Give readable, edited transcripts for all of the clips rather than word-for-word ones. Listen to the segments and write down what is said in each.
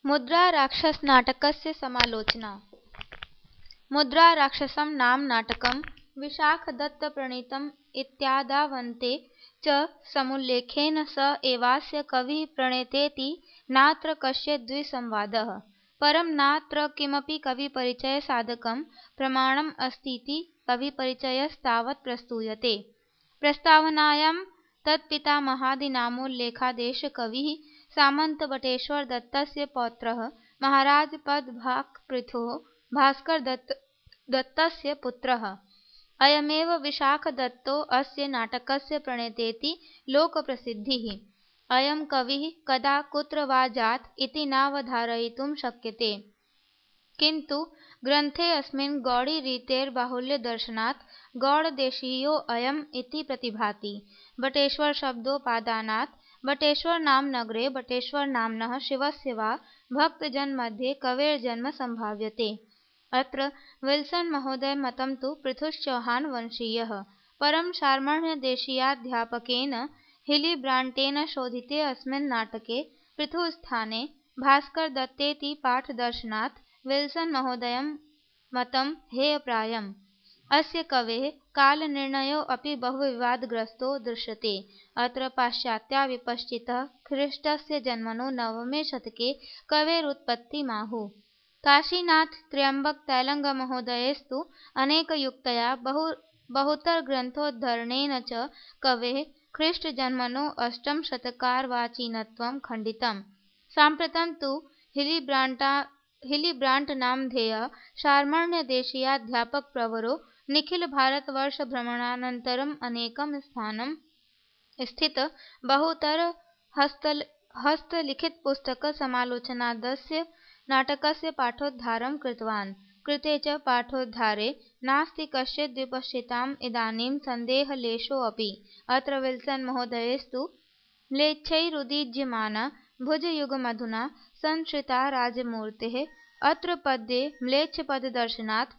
मुद्राराक्षसनाटकस्य समालोचना। मुद्राराक्षसं नाम नाटकं विशाखदत्तप्रणीतम् इत्यादावन्ते च समुल्लेखेन स एवास्य कविः प्रणेतेति नात्र कश्चित् द्विसंवादः। परं नात्र किमपि कविपरिचयसाधकं प्रमाणम् अस्तीति कविपरिचयस्तावत् प्रस्तूयते। प्रस्तावनायां तत्पितामहादीनामोल्लेखादेशकविः सामन्तबटेश्वरदत्तस्य पौत्रः महाराजपदभाक्पृथुः भास्करदत्तस्य पुत्रः। अयमेव विशाखदत्तो अस्य नाटकस्य प्रणेतेति लोकप्रसिद्धिः। अयं कविः कदा कुत्र वा जात इति नावधारयितुं शक्यते, किन्तु ग्रन्थेऽस्मिन् गौडीरीतेर्बाहुल्यदर्शनात् गौडदेशीयोऽयम् इति प्रतिभाति। बटेश्वरशब्दोपादानात् बटेश्वरनामनगरे बटेश्वरनाम्नः शिवस्य वा भक्तजनमध्ये कवेर्जन्म सम्भाव्यते। अत्र विल्सन्महोदयमतं तु पृथुश्चौहानवंशीयः, परं शार्मण्यदेशीयाध्यापकेन हिलीब्राण्टेन शोधिते अस्मिन् नाटके पृथुस्थाने भास्करदत्तेति पाठदर्शनात् विल्सन्महोदयं मतं हेयप्रायम्। अस्य कवेः कालनिर्णयोऽपि बहुविवादग्रस्तो दृश्यते। अत्र पाश्चात्या विपश्चितः ख्रीष्टस्य जन्मनो 9मे शतके कवेरुत्पत्तिमाहुः। काशीनाथत्र्यम्बकतैलङ्गमहोदयस्तु अनेकयुक्तया बहुतरग्रन्थोद्धरणेन च कवेः ख्रीष्टजन्मनो 8मशतकार्वाचीनत्वं खण्डितम्। साम्प्रतं तु हिलीब्राण्ट्नामधेयः शार्मण्यदेशीयाध्यापकप्रवरो निखिलभारतवर्षभ्रमणानन्तरम् अनेकं स्थानं स्थित बहुतरहस्तलिखितपुस्तकसमालोचनादस्य नाटकस्य पाठोद्धारं कृतवान्। कृते च पाठोद्धारे नास्ति कश्चित् विपश्चिताम् इदानीं सन्देहलेशोऽपि। अत्र विल्सन्महोदयस्तु म्लेच्छैरुदीज्यमाना भुजयुगमधुना संश्रिता राजमूर्तेः। अत्र पद्ये म्लेच्छपददर्शनात्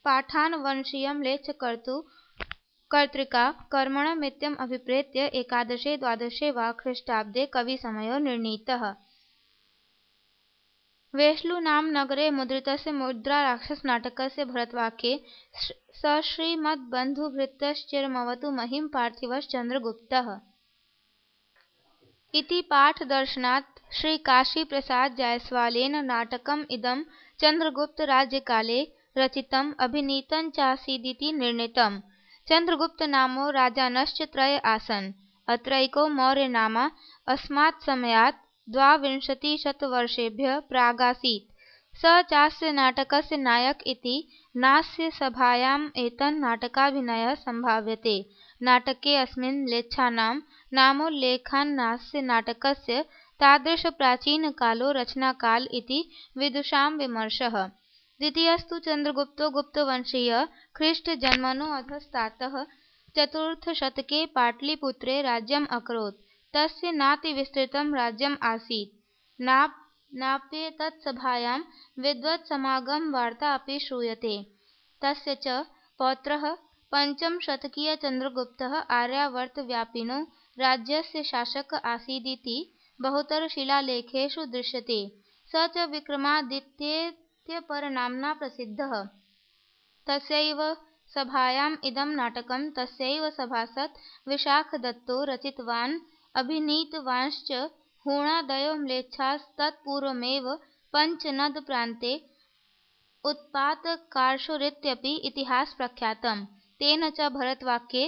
पाठानवंशीयम्लेच्छकर्तृका कर्मणमित्यम् अभिप्रेत्य एकादशे-द्वादशे वा ख्रीष्टाब्दे कविसमयो निर्णीतः। वेश्लुनामनगरे मुद्रितस्य मुद्राराक्षसनाटकस्य भरतवाक्ये सश्रीमद्बन्धुभृत्यश्चिरमवतु महीं पार्थिवश्चन्द्रगुप्तः इति पाठदर्शनात् श्रीकाशीप्रसादजायसवालेन नाटकम् इदं चन्द्रगुप्तराज्यकाले रचितम् अभिनीतञ्चासीदिति निर्णीतम्। चन्द्रगुप्तनामो राजानश्च त्रय आसन्। अत्रैको मौर्यनामा अस्मात्समयात् 22शतवर्षेभ्यः प्रागासीत्। स चास्य नाटकस्य नायक इति नास्य सभायाम् एतन्नाटकाभिनयः सम्भाव्यते। नाटकेऽस्मिन् म्लेच्छानां नामोल्लेखान्नास्य नाटकस्य तादृशप्राचीनकालो रचनाकाल इति विदुषां विमर्शः। द्वितीयस्तु चन्द्रगुप्तो गुप्तवंशीयः ख्रीष्टजन्मनो अधस्तातः चतुर्थशतके पाटलिपुत्रे राज्यम् अकरोत्। तस्य नातिविस्तृतं राज्यम् आसीत्। नाप्येतत्सभायां विद्वत्समागमवार्ता अपि श्रूयते। तस्य च पौत्रः पञ्चमशतकीयचन्द्रगुप्तः आर्यावर्तव्यापिनो राज्यस्य शासकः आसीदिति बहुतरशिलालेखेषु दृश्यते। स च विक्रमादित्येत्यपरनाम्ना प्रसिद्धः। तस्यैव सभायाम् इदं नाटकं तस्यैव सभासद् विशाखदत्तो रचितवान्। अभिनीतवांश्च हूणादयो म्लेच्छास्तत्पूर्वमेव पञ्चनदप्रान्ते उत्पातकारशुरित्यपि इतिहासप्रख्यातम्। तेन च भरतवाक्ये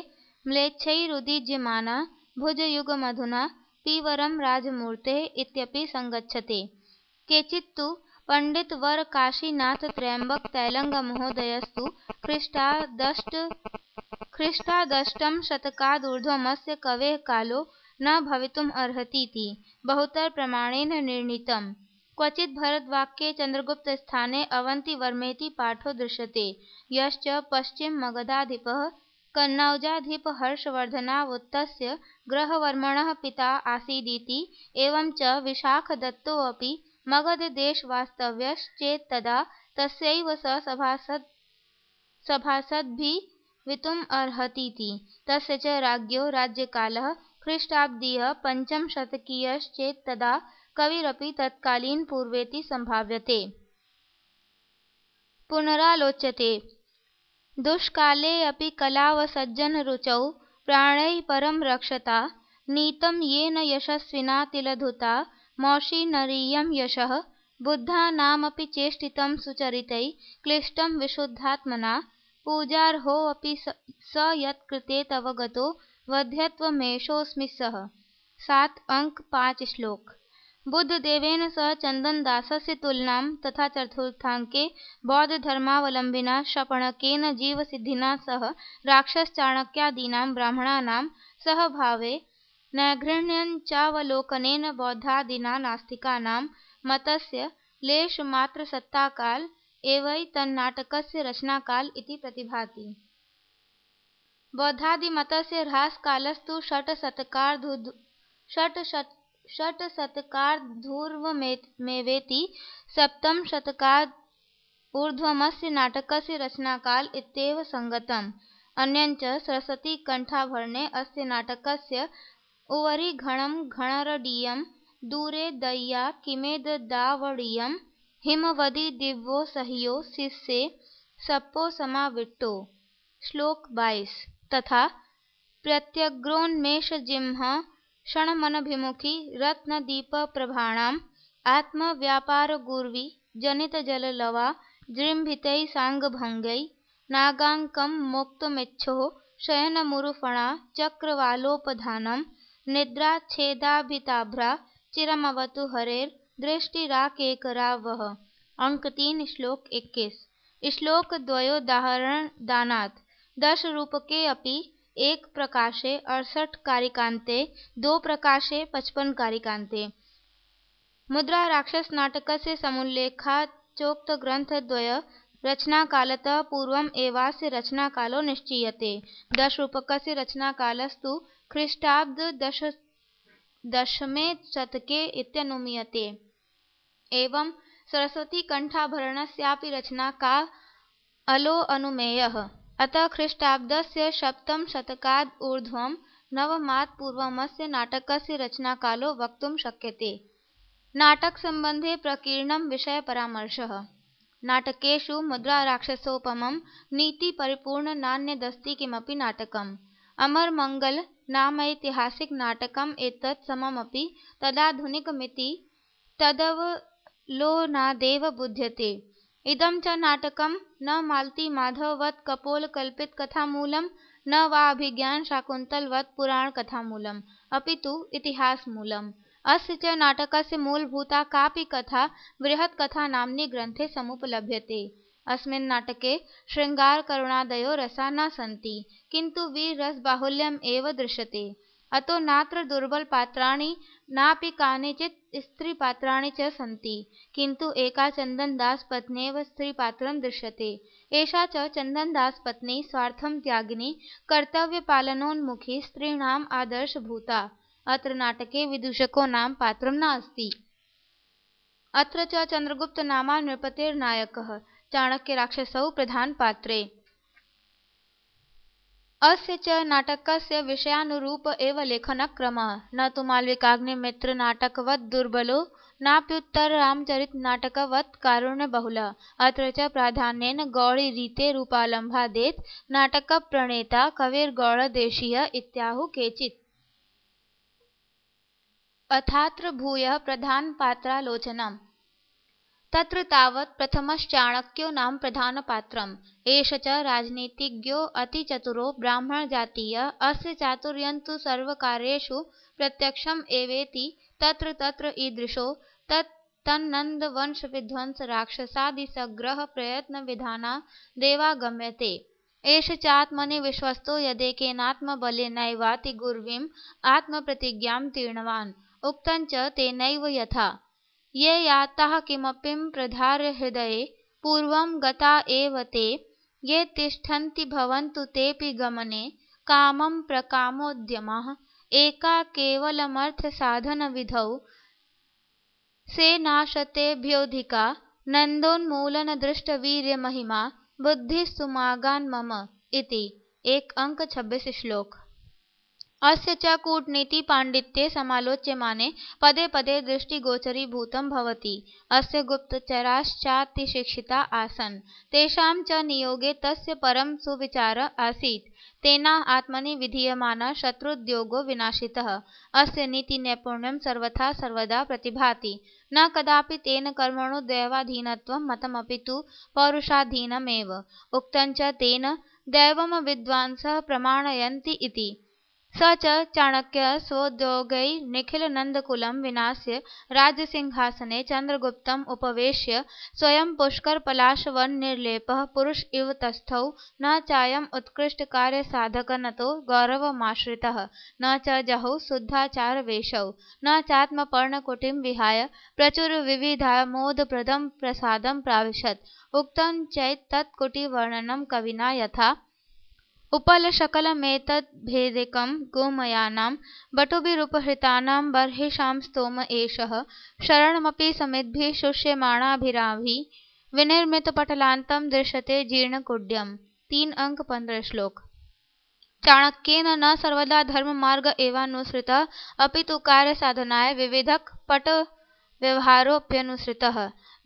म्लेच्छैरुदीज्यमाना भुजयुगमधुना पीवरं राजमूर्तेः इत्यपि संगच्छते। केचित्तु पण्डितवरकाशीनाथत्र्यम्बकतैलङ्गमहोदयस्तु ख्रीष्टादष्टमशतकादूर्ध्वमस्य कवेः कालो न भवितुमर्हतीति बहुतरप्रमाणेन निर्णीतम्। क्वचित् भरतवाक्ये चन्द्रगुप्तस्थाने अवन्तिवर्मेति पाठो दृश्यते, यश्च पश्चिममगधाधिपः कन्नौजाधिपहर्षवर्धनावुत्तस्य ग्रहवर्मणः पिता आसीदिति। एवं च विशाखदत्तोऽपि मगधदेशवास्तव्यश्चेत्तदा तस्यैव सभासद्भवितुमर्हतीति। तस्य च राज्ञो राज्यकालः ख्रीष्टाब्दीयः पञ्चमशतकीयश्चेत्तदा कविरपि तत्कालीन पूर्वेति संभाव्यते। पुनरालोच्यते दुष्काले अपि कलावसज्जनरुचौ प्राणैः परं रक्षता नीतं येन यशस्विना तिलधुता मौशिनरीयं यशः बुद्धानामपि चेष्टितं सुचरितैः क्लिष्टं विशुद्धात्मना पूजार्होऽपि स यत्कृते तव गतो वध्यत्वमेषोऽस्मि सः। 7 अंक 5 श्लोक। बुद्धदेवेन सह चन्दनदासस्य तुलनां तथा चतुर्थाङ्के बौद्धधर्मावलम्बिना शपणकेन जीवसिद्धिना सह राक्षसचाणक्यादीनां ब्राह्मणानां सहभावे नैर्घृण्यञ्चावलोकनेन बौद्धादीनां नास्तिकानां मतस्य लेशमात्रसत्ताकाल एवैतन्नाटकस्य रचनाकाल इति प्रतिभाति। बौद्धादिमतस्य ह्रासकालस्तु षट्शतकार्धूर्वमेवेति। सप्तमशतकादूर्ध्वमस्य नाटकस्य रचनाकाल इत्येव संगतम्। अन्यञ्च सरस्वतीकण्ठाभरणे अस्य नाटकस्य उवरि घणं घणरडीयं दूरे दय्या किमेतदावडीयं हिमवदि दिव्यो सह्यो शिष्ये सप्पो समाविष्टो। श्लोक 22। तथा प्रत्यग्रोन्मेषजिह्म क्षणमनभिमुखी रत्नदीपप्रभाणाम् आत्मव्यापारगुर्वी जनितजललवा जृम्भितैः साङ्गभङ्गैः नागाङ्कं मोक्तुमिच्छोः शयनमुरुफणा चक्रवालोपधानं निद्राच्छेदाभिताभ्रा चिरमवतु हरेर्दृष्टिराकेकरा वः। अंक 3 श्लोक 21। श्लोकद्वयोदाहरणदानात् 10 रूपके अपि 1 प्रकाशे 68 कारिकान्ते 2 प्रकाशे 55 कारिकान्ते। मुद्रा राक्षस नाटकस्य समुल्लेखाच्चोक्तग्रन्थद्वय रचनाकालतः पूर्वम् एवास्य रचनाकालो निश्चीयते। 10 रूपकस्य रचनाकालस्तु ख्रीष्टाब्द दशमे शतके इत्यनुमीयते। एवं सरस्वतीकण्ठाभरणस्यापि रचनाकालो अनुमेयः। अतः ख्रीष्टाब्दस्य सप्तमशतकादूर्ध्वं नवमात् पूर्वमस्य नाटकस्य रचनाकालो वक्तुं शक्यते। नाटकसम्बन्धे प्रकीर्णं विषयपरामर्शः। नाटकेषु मुद्राराक्षसोपमं नीतिपरिपूर्ण नान्यदस्ति किमपि नाटकम्। अमरमङ्गल नामैतिहासिकनाटकम् एतत् सममपि तदाधुनिकमिति तदवलोकनादेव बुध्यते। इदं च नाटकं न मालतीमाधववत् कपोलकल्पितकथामूलं न वा अभिज्ञानशाकुन्तलवत् पुराणकथामूलम् अपितु इतिहासमूलम्। अस्य च नाटकस्य मूलभूता कापि कथा बृहत्कथानाम्नि ग्रन्थे समुपलभ्यते। अस्मिन् नाटके शृङ्गारकरुणादयो रसा न सन्ति, किन्तु वीररसबाहुल्यम् एव दृश्यते। अतो नात्र दुर्बलपात्राणि नापि कानिचित् स्त्रीपात्राणि च सन्ति, किन्तु एका चन्दनदासपत्न्येव स्त्रीपात्रं दृश्यते। एषा च चन्दनदासपत्नी स्वार्थं त्यागिनी कर्तव्यपालनोन्मुखी स्त्रीणाम् आदर्शभूता। अत्र नाटके विदूषको नाम पात्रं नास्ति। अत्र च चन्द्रगुप्तनामा नृपतेर्नायकः, चाणक्यराक्षसौ प्रधानपात्रे। अस्य च नाटकस्य विषयानुरूप एव लेखनक्रमः, न तु मालविकाग्निमित्रनाटकवत् दुर्बलो नाप्युत्तररामचरितनाटकवत् कारुण्यबहुलः। अत्र च प्राधान्येन गौडीरीतेरुपालम्भादेत् नाटकप्रणेता कविर्गौडदेशीयः इत्याहुः केचित्। अथात्र भूयः प्रधानपात्रालोचनम्। तत्र तावत् प्रथमश्चाणक्यो नाम प्रधानपात्रम्। एष च राजनीतिज्ञो अतिचतुरो ब्राह्मणजातीयः। अस्य चातुर्यं तु सर्वकार्येषु प्रत्यक्षम् एवेति तत्र तत्र ईदृशो तन्नन्दवंशविध्वंसराक्षसादिसङ्ग्रहप्रयत्नविधानादेवागम्यते। एष चात्मनि विश्वस्तो यदेकेनात्मबलेनैवाति गुर्वीम् आत्मप्रतिज्ञां तीर्णवान्। उक्तं च तेनैव यथा ये याताः किमपीं प्रधार्य हृदये पूर्वं गता एव ते ये तिष्ठन्ति भवन्तु तेऽपि गमने कामं प्रकामोद्यमः एका केवलमर्थसाधनविधौ सेनाशतेभ्योऽधिका नन्दोन्मूलनदृष्टवीर्यमहिमा बुद्धिस्तुमागान् मम इति। 1 अंक 26 श्लोक। अस्य च कूटनीति पाण्डित्ये समालोच्यमाने पदे पदे दृष्टिगोचरीभूतं भवति। अस्य गुप्तचराश्चातिशिक्षिता आसन्, तेषां च नियोगे तस्य परं सुविचार आसीत्। तेना आत्मनि विधीयमानः शत्रुद्योगो विनाशितः। अस्य नीतिनैपुण्यं सर्वथा सर्वदा प्रतिभाति। न कदापि तेन कर्मणो दैवाधीनत्वं मतमपि तु पौरुषाधीनमेव। उक्तं च तेन दैवं विद्वांसः प्रमाणयन्ति इति। स च चाणक्यः स्वोद्योगैर्निखिलनन्दकुलं विनाश्य राज्यसिंहासने चन्द्रगुप्तम् उपवेश्य स्वयं पुष्करपलाशवन्निर्लेपः पुरुष इव तस्थौ न चायम् उत्कृष्टकार्यसाधकनतो गौरवमाश्रितः न च जहौ शुद्धाचारवेशौ न चात्मपर्णकुटीं विहाय प्रचुरविविधामोदप्रदं प्रसादं प्राविशत्। उक्तं चैतत्कुटीवर्णनं कविना यथा उपलशकलमेतद्भेदिकं गोमयानां बटुभिरुपहृतानां बर्हिषां स्तोम एषः शरणमपि समिद्भिः शुष्यमाणाभिराभिः विनिर्मितपटलान्तं दृश्यते जीर्णकुड्यम्। 3 अंक 15 श्लोक। चाणक्येन न सर्वदा धर्ममार्ग एवानुसृतः अपि तु कार्यसाधनाय विविधकपटव्यवहारोऽप्यनुसृतः।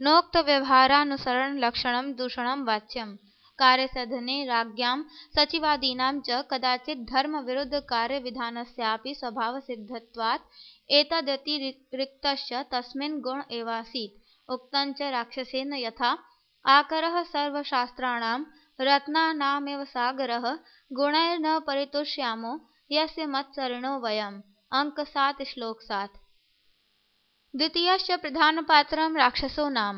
नोक्तव्यवहारानुसरणलक्षणं दूषणं वाच्यम्। कार्यसाधने राज्ञां सचिवादीनां च कदाचित् धर्मविरुद्धकार्यविधानस्यापि स्वभावसिद्धत्वात् एतदतिरिक्तश्च तस्मिन् गुण एवासीत्। उक्तं च राक्षसेन यथा आकरः सर्वशास्त्राणां रत्नानामेव सागरः गुणैर्न परितुष्यामो यस्य मत्सरिणो वयम्। अंक 7 श्लोक 7। द्वितीयश्च प्रधानपात्रं राक्षसो नाम।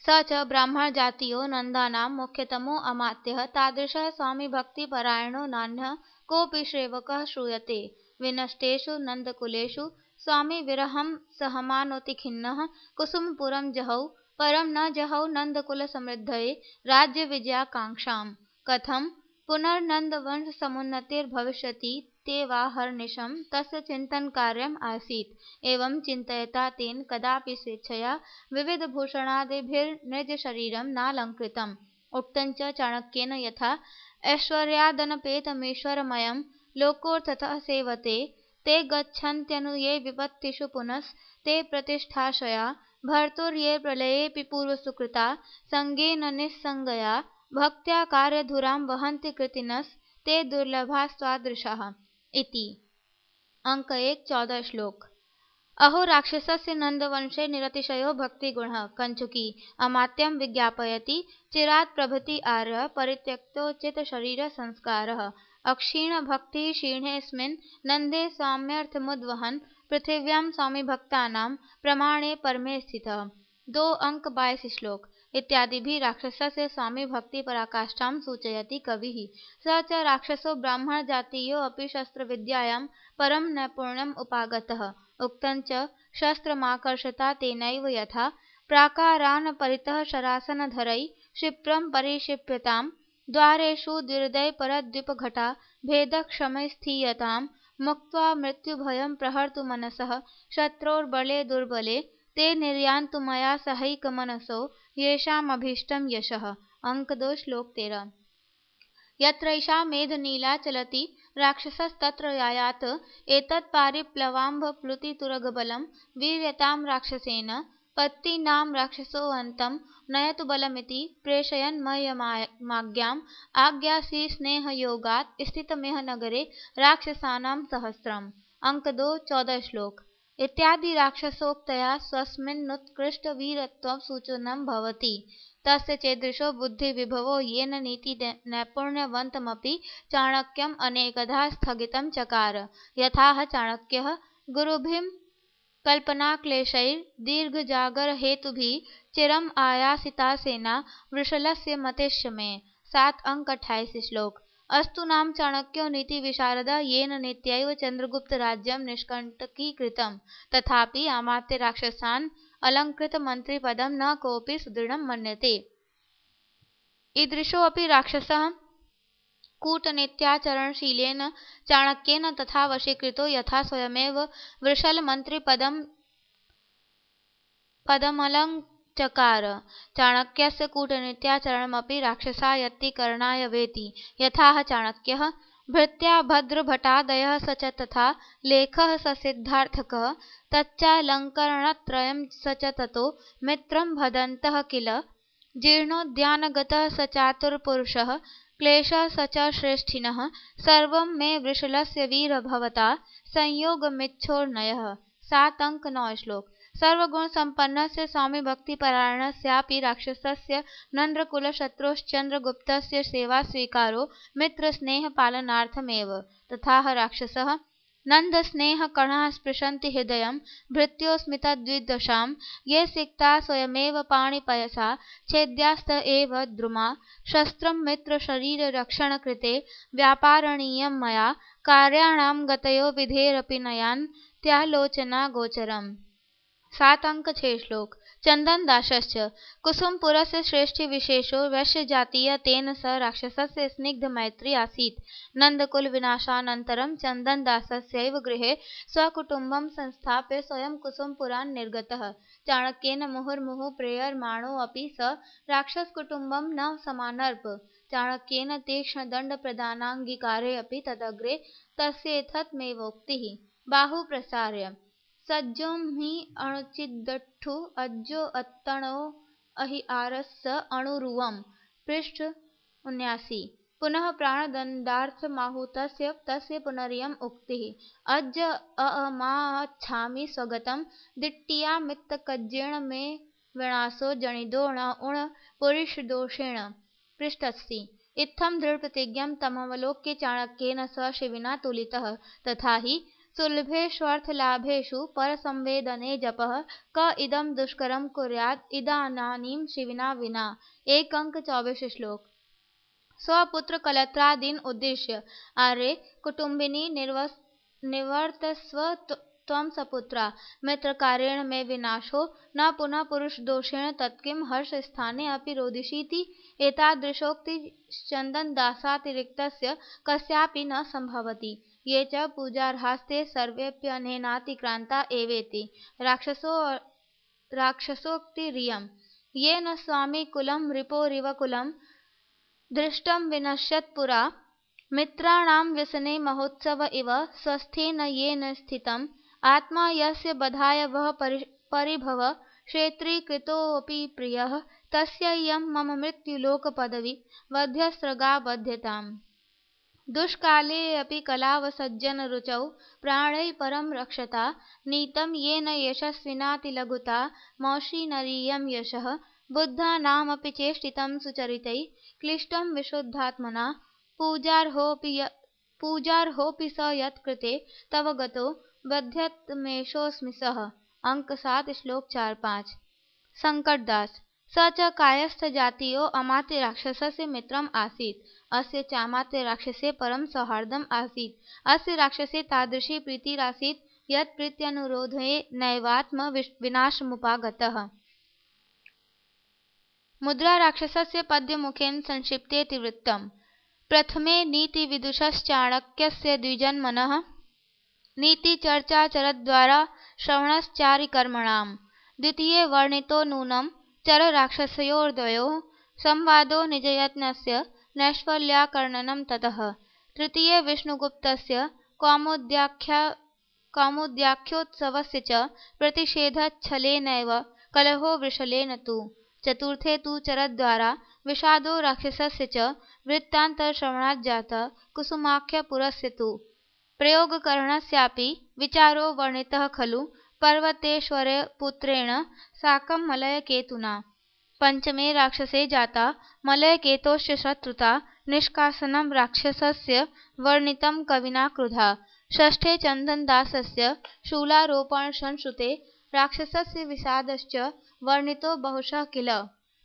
स च ब्राह्मणजातीयो नन्दानां मुख्यतमो अमात्यः तादृशः स्वामिभक्तिपरायणो नान्यः कोऽपि सेवकः श्रूयते। विनष्टेषु नन्दकुलेषु स्वामिविरहं सहमानोति खिन्नः कुसुमपुरं जहौ परं न जहौ नन्दकुलसमृद्धये राज्यविजयाकाङ्क्षां। कथं पुनर्नन्दवंशसमुन्नतिर्भविष्यति तेवाहर्निशं तस्य चिन्तनकार्यम् आसीत्। एवं चिन्तयता तेन कदापि स्वेच्छया विविधभूषणादिभिर्निजशरीरं नालङ्कृतम्। उक्तं च चाणक्येन यथा ऐश्वर्यादनपेतमीश्वरमयं लोकोऽर्थतः सेवते ते गच्छन्त्यनु ये विपत्तिषु पुनस्ते प्रतिष्ठाक्षया भर्तुर्ये प्रलयेऽपि पूर्वसुकृता सङ्गेन निस्सङ्गया भक्त्या कार्यधुरां वहन्ति कृतिनस्ते दुर्लभास्तादृशाः इति। अंक 1 14 श्लोक। अहो राक्षसस्य नन्दवंशे निरतिशयो भक्तिगुणः। कञ्चुकी अमात्यं विज्ञापयति चिरात् प्रभृति आर्य परित्यक्तोचितशरीरसंस्कारः। अक्षीणभक्तिः क्षीणेऽस्मिन् नन्दे साम्यर्थमुद्वहन् पृथिव्यां स्वामिभक्तानां प्रमाणे परमे स्थितः। 2 अंक 22 श्लोक इत्यादिभिः राक्षसस्य स्वामिभक्तिपराकाष्ठां सूचयति कविः। स च राक्षसो ब्राह्मणजातीयो अपि शस्त्रविद्यायां परं नैपुण्यम् उपागतः। उक्तं च शस्त्रमाकर्षता तेनैव यथा प्राकारान् परितः शरासनधरैः क्षिप्रं परिक्षिप्यतां द्वारेषु द्विहृदय परद्वीपघटा भेदक्षमैः मुक्त्वा मृत्युभयं प्रहर्तुमनसः शत्रोर्बले दुर्बले ते निर्यान्तु मया सहैकमनसो येषामभीष्टं यशः। अंक 2 श्लोक 13। यत्रैषा मेधनीला चलति राक्षसस्तत्र यायात् एतत्पारिप्लवाम्भप्लुतितुरगबलं वीर्यतां राक्षसेन पत्नीनां राक्षसोऽन्तं नयतु बलमिति प्रेषयन्मयमाज्ञाम् आज्ञासीस्नेहयोगात् स्थितमिह नगरे राक्षसानां सहस्रम्। अंक 2 14 श्लोक इत्यादि राक्षसोक्तया स्वस्मिन्नुत्कृष्टवीरत्वं सूचनं भवति। तस्य चेदृशो बुद्धिविभवो येन नीतिनैपुण्यवन्तमपि चाणक्यम् अनेकधा स्थगितं चकार। यथाह चाणक्यः गुरुभिः कल्पनाक्लेशैर्दीर्घजागरहेतुभिः चिरम् आयासितासेना वृषलस्य मतेश्च मे। 7 अंक 28 श्लोक। अस्तु नाम चाणक्यो नीतिविशारदः येन नीत्यैव चन्द्रगुप्तराज्यं निष्कण्टकीकृतं तथापि अमात्य राक्षसान् अलङ्कृतमन्त्रिपदं न कोऽपि सुदृढं मन्यते। ईदृशोऽपि राक्षसः कूटनीत्याचरणशीलेन चाणक्येन तथा वशीकृतो यथा स्वयमेव वृषलमन्त्रिपदमलङ्चकार। चाणक्यस्य कूटनीत्याचरणमपि राक्षसायत्तीकरणाय वेति। यथाह चाणक्यः भृत्या भद्रभटादयः स च तथा लेखः स सिद्धार्थकः तच्चालङ्करणत्रयं स च ततो मित्रं भदन्तः किल जीर्णोद्यानगतः स चातुरपुरुषः क्लेशः स च श्रेष्ठिनः सर्वं मे वृषलस्य वीर भवता संयोगमिच्छोर्नयः। 7 अंक 9 श्लोक। सर्वगुण संपन्नस्य स्वामी भक्तिपरायणस्यापि राक्षसस्य नन्द्रकुलशत्रोश्चन्द्रगुप्तस्य सेवा स्वीकारो मित्रस्नेहपालनार्थमेव। तथाह राक्षसः नन्दस्नेहकणाः स्पृशन्ति हृदयं भृत्योऽस्मितद्विदशां ये सिक्ता स्वयमेव पाणिपयसा छेद्यास्त एव द्रुमा शस्त्रं मित्रशरीररक्षणकृते व्यापारणीयं मया कार्याणां गतयो विधेरपि नयान्त्यालोचना गोचरम्। 7 अंक 6 श्लोक। चंदन दासश्च कुसुमपुरस्य श्रेष्ठी विशेषो वैश्यजातीय तेन स राक्षसस्य स्निग्ध मैत्री आसीत्। नन्दकुल विनाशानन्तरं चन्दनदासस्यैव गृहे स्वकुटुम्बं संस्थाप्य स्वयं कुसुमपुरान् निर्गतः। चाणक्येन मुहुर्मुहुः प्रेयमाणोऽपि स राक्षसकुटुम्बं न समानर्प। चाणक्येन तीक्ष्णदण्डप्रदानाङ्गीकारे अपि तदग्रे तस्येतत्मेवोक्तिः। बाहुप्रसार्य सज्जों हि अणुचिदट्ठु अज्जो अत्तणो अहि आरस्स अणुरुवम्। पृष्ठ 79। पुनः प्राणदण्डार्थमाहुतस्य तस्य पुनरियम् उक्तिः। अज्ज अमाच्छामि स्वगतं दिट्टियामित्तकज्जेन मे विनाशो जनितो न उण पुरुषदोषेण। पृष्ठ 80। इत्थं दृढप्रतिज्ञं तमवलोक्य चाणक्येन स शिविना तुलितः। तथा हि सुलभेष्वर्थलाभेषु परसंवेदने जपः क इदं दुष्करं कुर्यात् इदानीं शिविना विना। 1 अंक 24 श्लोक। स्वपुत्रकलत्रादीन् उद्दिश्य आर्ये कुटुम्बिनी निवर्तस्व त्वं सपुत्रा मित्रकार्येण मे विनाशो न पुनः पुरुषदोषेण तत्किं हर्षस्थाने अपि रोदिषीति। एतादृशोक्ति चन्दनदासातिरिक्तस्य कस्यापि न संभवति। ये च पूजार्हास्ते सर्वेऽप्यनेनातिक्रान्ता एवेति। राक्षसोक्तिरियं येन स्वामिकुलं रिपोरिव कुलं दृष्टं विनश्यत् पुरा मित्राणां व्यसने महोत्सव इव स्वस्थेन येन स्थितम् आत्मा यस्य बधाय वः परिभव क्षेत्रीकृतोऽपि प्रियः तस्येयं मम मृत्युलोकपदवी वध्यस्रगा बध्यताम्। दुष्कालेऽपि कलावसज्जनरुचौ प्राणैः परं रक्षता नीतं येन यशस्विनातिलघुता मौषीनरीयं यशः बुद्धानामपि चेष्टितं सुचरितैः क्लिष्टं विशुद्धात्मना पूजार्होऽपि स यत्कृते तव गतो बध्यत्मेषोऽस्मि सः। अंक 7 श्लोक 4-5। संकटदास स च कायस्थजातीयो अमात्य राक्षसस्य मित्रम् आसीत्। अस्य चामात्य राक्षसे परं सौहार्दम् आसीत्। अस्य राक्षसे तादृशी प्रीतिरासीत् यत् प्रीत्यनुरोधे नैवात्म विनाशमुपागतः। मुद्रा राक्षसस्य पद्यमुखेन संक्षिप्तेतिवृत्तम्। प्रथमे नीतिविदुषश्चाणक्यस्य द्विजन्मनः नीतिचर्चाचरद्वारा श्रवणश्चारिकर्मणाम्। द्वितीये वर्णितो नूनं चरराक्षसयोर्द्वयोः संवादो निजयत्नस्य नैष्फल्याकर्णनं ततः। तृतीये विष्णुगुप्तस्य कौमुद्याख्योत्सवस्य च प्रतिषेधच्छलेनैव कलहो वृषलेन तु। चतुर्थे तु चरद्वारा विषादो राक्षसस्य च वृत्तान्तश्रवणाज्जातः कुसुमाख्यपुरस्य तु। प्रयोगकरणस्यापि विचारो वर्णितः खलु पर्वतेश्वरपुत्रेण साकं मलयकेतुना। पंचमे राक्षसे जाता मलयकेतोश्च शत्रुता निष्कासनं राक्षसस्य वर्णितं कविना क्रुधा। षष्ठे चन्दनदासस्य शूलारोपणसंश्रुते राक्षसस्य विषादश्च वर्णितो बहुशः किल।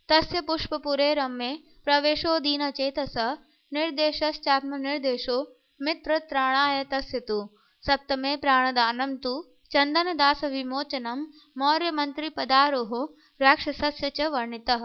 तस्य पुष्पपुरे रम्ये प्रवेशो दीनचेतसः निर्देशश्चात्मनिर्देशो मित्रत्राणाय तस्य तु। सप्तमे प्राणदानं तु चन्दनदासविमोचनं मौर्यमन्त्रिपदारोहो राक्षसस्य च वर्णितः।